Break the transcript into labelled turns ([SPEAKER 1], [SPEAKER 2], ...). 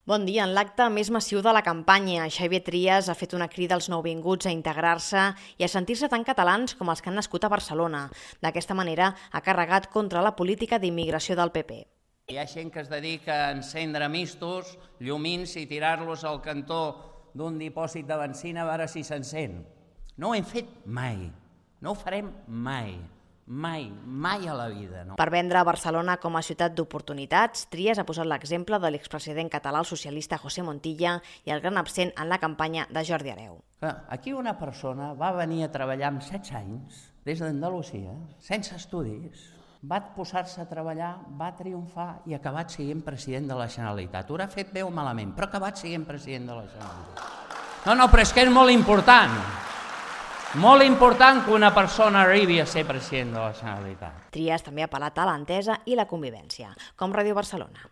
[SPEAKER 1] Bon dia. En l'acte més massiu de la campanya, Xavier Trias ha fet una crida als nouvinguts a integrar-se i a sentir-se tan catalans com els que han nascut a Barcelona. D'aquesta manera, ha carregat contra la política d'immigració del PP.
[SPEAKER 2] Hi ha gent que es dedica a encendre mistos, llumins i tirar-los al cantó d'un dipòsit de benzina a veure si s'encén. No ho hem fet mai, no ho farem mai. Mai a la vida. No?
[SPEAKER 1] Per vendre Barcelona com a ciutat d'oportunitats, Trias ha posat l'exemple de l'expresident català socialista José Montilla i el gran absent en la campanya de Jordi Hereu.
[SPEAKER 2] Aquí una persona va venir a treballar amb 16 anys, des d'Andalusia, sense estudis, va posar-se a treballar, va triomfar i ha acabat sent president de la Generalitat. Ho ha fet bé o malament, però ha acabat sent president de la Generalitat. No, però és que és molt important. Molt important que una persona arribi a ser president de la Generalitat.
[SPEAKER 1] Trias també ha apel·lat a l'entesa i la convivència, com Ràdio Barcelona.